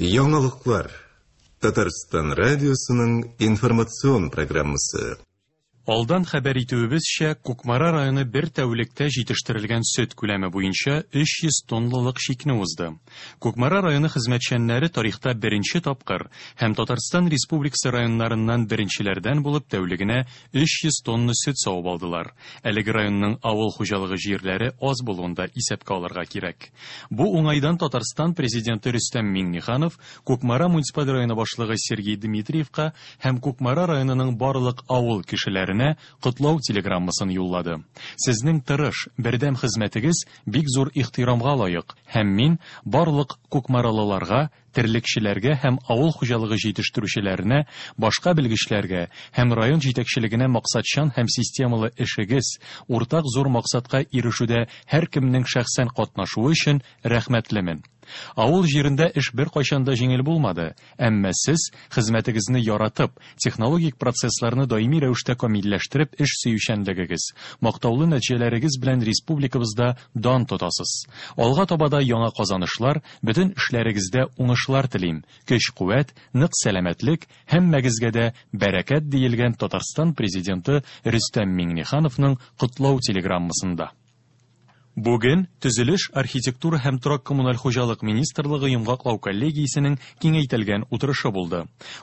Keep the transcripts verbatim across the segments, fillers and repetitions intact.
Яңалыклар. Татарстан радиосының информацион программасы. Алдан хәбәр итүебезчә, Кукмара районы бер тәүлектә җитештерелгән сөт күләме буенча өч йөз тонналык чикне узды. Кукмара районы хезмәтчәннәре тарихта беренче тапкыр һәм Татарстан Республикасы районнарыннан беренчеләрдән булып тәүлегенә өч йөз тонна сөт савып алдылар. Әлеге районның авыл хуҗалыгы җирләре аз булуын да исәпкә алырга кирәк. Бу уңайдан Татарстан президенты Рөстәм Миңнеханов Кукмара муниципаль районы башлыгы Сергей Дмитриевка һәм Кукмара районының барлык авыл кешеләренә котлау телеграммасын юллады. Сезнең тырыш, бердәм хезмәтегез бик зур ихтирамга лаек һәм мин барлык кукмаралыларга, терлекчеләргә һәм авыл хуҗалыгы җитештерүчеләренә, башка белгечләргә һәм район җитәкчелегенә максатчан һәм системалы эшегез, уртак зур максатка ирешүдә һәркемнең шәхсән катнашуы өчен рәхмәтлемен. Авыл җирендә эш бер кайчан да җиңел булмады, әмма сез хезмәтегезне яратып, технологик процессларны даими рәвештә камилләштереп эш сөючәнлегегез, мактаулы нәтиҗәләрегез белән республикабызда дан тотасыз. Алга таба да яңа казанышлар, бөтен эшләрегездә уңышлар телим. Көч-куәт, нык сәламәтлек, һәммәгезгә дә бәрәкәт диелгән Татарстан президенты Рөстәм Миңнехановның котлау телеграммасында. Бүген Төзелеш, архитектура һәм торак коммуналь хуҗалык министрлыгы йомгаклау коллегиясенең киңәйтелгән утырышы булды.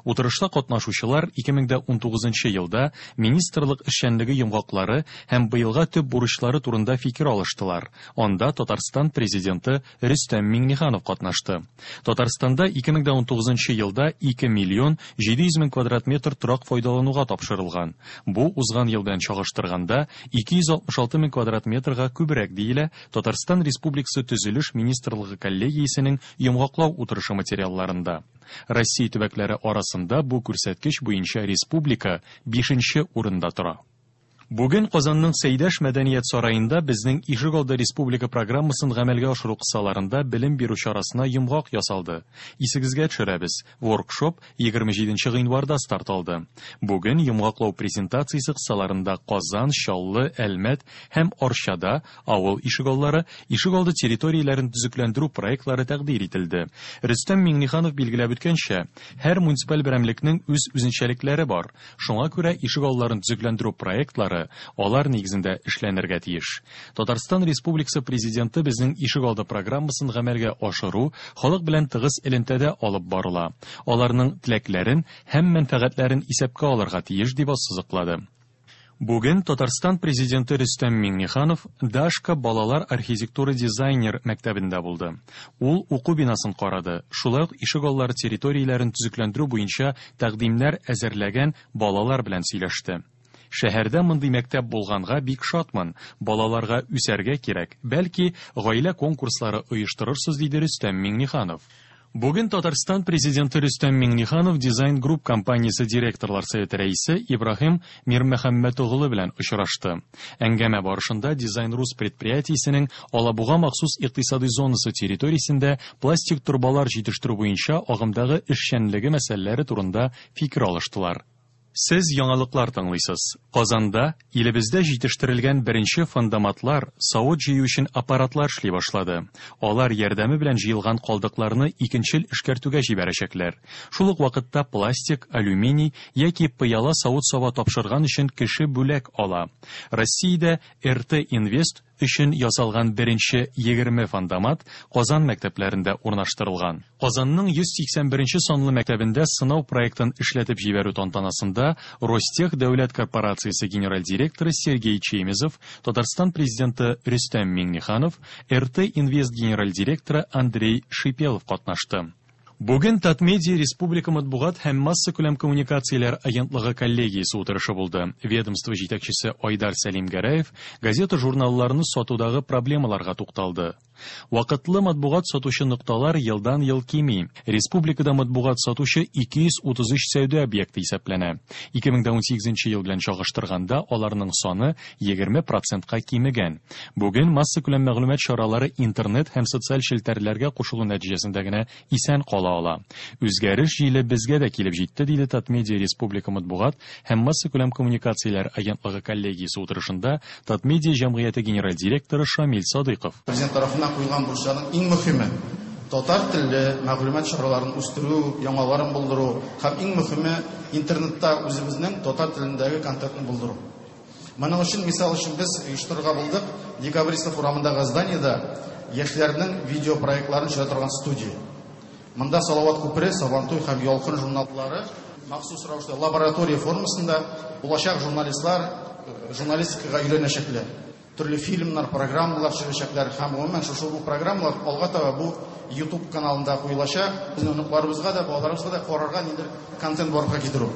Утырышта катнашучылар ике мең дә унтугызынчы елда министрлык эшчәнлеге йомгаклары һәм быелга төп бурычлары турында фикер алыштылар. Анда Татарстан президенты Рөстәм Миңнеханов катнашты. Татарстанда ике мең дә унтугызынчы елда ике миллион җиде йөз мең квадрат метр торак файдалануга тапшырылган. Бу узган ел белән чагыштырганда ике йөз алтмыш алты мең квадрат метрга күбрәк диелә Татарстан Республикасы Төзелеш министрлыгы коллегиясенең йомгаклау утырышы материалларында. Россия төбәкләре арасында бу күрсәткеч буенча республика бишенче урында тора. Бүген Казанның Сәйдәш мәдәният сараенда безнең Ишегалды республика программасын гамәлгә ашыру кысаларында белем бирү чарасына йомгак ясалды. Исегезгә төшерәбез, воркшоп егерме җиденче гыйнварда старт алды. Бүген йомгаклау презентациясе кысаларында Казан, Чаллы, Әлмәт һәм Арчада авыл ишегаллары, ишегалды территорияләрен төзекләндерү проектлары тәкъдир ителде. Рөстәм Миңнеханов билгеләп үткәнчә, һәр муниципаль берәмлекнең үз үзенчәлекләре бар. Шуңа күрә ишегалларын төзекләндерү проектлары алар нигезендә эшләнергә тиеш. Татарстан Республикасы президенты безнең ишегалды программасын гамәлгә ашыру халык белән тыгыз элемтәдә алып барыла. Аларның теләкләрен һәм мәнфәгатьләрен исәпкә алырга тиеш дип ассызыклады. Бүген Татарстан президенты Рөстәм Миңнеханов Дашка балалар архитектура дизайнер мәктәбендә булды. Ул уку бинасын карады. Шулай ук ишегаллары территорияләрен төзекләндерү буенча тәкъдимнәр әзерләгән балалар белән сөйләште. Шәһәрдә мондый мәктәп булганга бик шатмын. Балаларга үсәргә кирәк. Бәлки, гаилә конкурслары оештырырсыз, диде Рөстәм Миңнеханов. Бүген Татарстан президенты Рөстәм Миңнеханов Дизайн Групп компаниясе директорлар советы рәисе Ибраһим Мирмөхәммәт оглы белән очрашты. Әңгәмә барышында Дизайн Рус предприятиесенең Алабуга махсус икътисади зонасы территориясендә пластик торбалар җитештерү буенча агымдагы эшчәнлеге мәсьәләләре турында фикер алыштылар. Сез яңалыклар тыңлыйсыз. Казанда илебездә җитештерелгән беренче фандоматлар, савыт җыю өчен аппаратлар эшли башлады. Алар ярдәме белән җыелган калдыкларны икенчел эшкәртүгә җибәрәчәкләр. Шул ук вакытта пластик, алюминий яки пыяла савыт-саба тапшырган өчен кеше бүләк ала. Россиядә эр тэ Инвест өчен ясалган беренче егерме фандомат Казан мәктәпләрендә урнаштырылган. Казанның йөз сиксән беренче санлы мәктәбендә сынау проектын эшләтеп җибәрү тантанасында Ростех дәүләт корпорациясе генераль директоры Сергей Чемезов, Татарстан президенты Рөстәм Миңнеханов, эр тэ Инвест генераль директоры Андрей Шипелов катнашты. Бүген Татмедиа Республика матбугат һәм массакүләм коммуникацияләр агентлыгы коллегиясе утырышы булды. Ведомство җитәкчесе Айдар Сәлимгәрәев газета-журналларны сатудагы проблемаларга тукталды. Вакытлы матбугат сатучы нокталар елдан-ел кими. Республикада матбугат сатучы ике йөз утыз өч сәүдә объекты исәпләнә. Ике мең дә унсигезенче ел белән чагыштырганда аларның саны егерме процентка кимегән. Бүген массакүләм мәгълүмат чаралары интернет һәм социаль челтәрләргә кушылу нәтиҗәсендә генә исән кала ала. Үзгәреш җиле безгә дә килеп җитте, диде Татмедиа Республика матбугат һәм массакүләм коммуникацияләр агентлыгы коллегиясе утырышында Татмедиа җәмгыяте генераль директоры Шамил Садыйков. Президент тарафыннан куелган бурычларның иң мөһиме Татар телле мәгълүмат чараларын үстерү, яңаларын булдыру һәм иң мөһиме интернетта үзебезнең татар телендәге контентны булдыру. Моның өчен, мисал өчен, без оештырырга булдык Декабристов урамындагы зданиедә яшьләрнең видео проектларын төшерә торган студия. Монда Салават күпере, Сабантуй һәм Ялкын журналлары махсус рәвештә лаборатория формасында булачак журналистлар журналистикага өйрәнәчәкләр. Төрле фильмнар, программалар төшерәчәкләр һәм гомумән шушы бу программалар алга таба бу YouTube каналында куелачак. Безнең оныкларыбызга да, балаларыбызга да карарга ниндидер контент барлыкка китерү.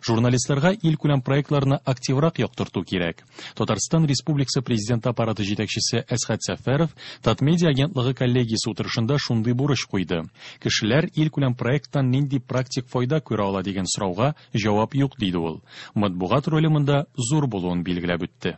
Журналистларга илкүләм проектларны активрак яктырту кирәк. Татарстан Республикасы Президенты аппараты җитәкчесе Әсхәт Сәфәров Татмедиа агентлыгы коллегиясе утырышында шундый бурыч куйды. Кешеләр илкүләм проекттан нинди практик файда күрә ала дигән сорауга җавап юк, диде ул. Матбугат роле монда зур булуын билгеләп үтте.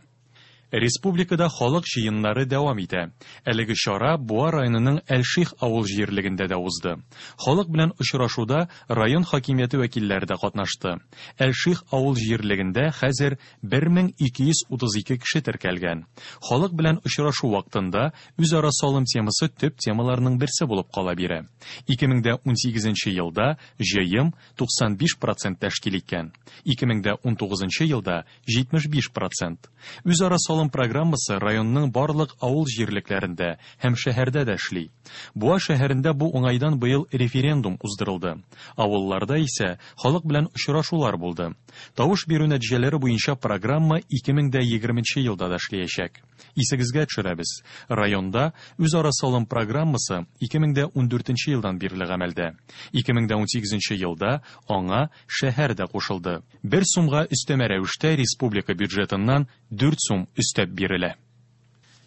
Республикада халык җыеннары дәвам итә. Әлеге чара Буа районының Әлших авыл җирлегендә дә узды. Халык белән очрашуда район хакимияте вәкилләре дә катнашты. Әлших авыл җирлегендә хәзер бер мең ике йөз утыз ике кеше теркәлгән. Халык белән очрашу вакытында үзара салым темасы төп темаларның берсе булып кала бирә. ике мең дә унсигезенче елда җыем туксан биш процент тәшкил иткән. ике мең дә унтугызынчы елда җитмеш биш процент. Үзара салым программасы районның барлык авыл җирлекләрендә һәм шәһәрдә дә эшли. Буа шәһәрендә бу уңайдан быел референдум уздырылды. Авылларда исә халык белән очрашулар булды. Тавыш бирү нәтиҗәләре буенча программа ике мең дә егерменче елда да эшләячәк. Исегезгә төшерәбез. Районда үзара салым программасы ике мең дә ундүртенче елдан бирле гамәлдә. ике мең дә унсигезенче елда аңа шәһәр дә кушылды. Бер сумга өстәмә рәвештә республика бюджетыннан дүрт сум өстәп бирелә.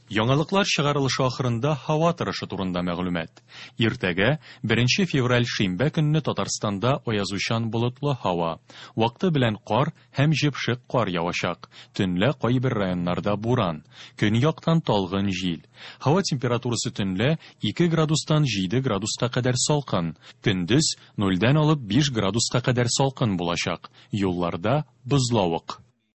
Яңалыклар чыгарылышы ахырында һава торышы турында мәгълүмат. Иртәгә беренче февраль шимбә көнне Татарстанда аязучан болытлы һава. Вакыты белән кар һәм җепшек кар явачак. Төнлә кайбер районнарда буран. Көньяктан талгын җил. Һава температурасы төнлә ике градустан җиде градуска кадәр салкын. Көндез нульдән алып биш градуска кадәр салкын булачак. Юлларда бозлавык.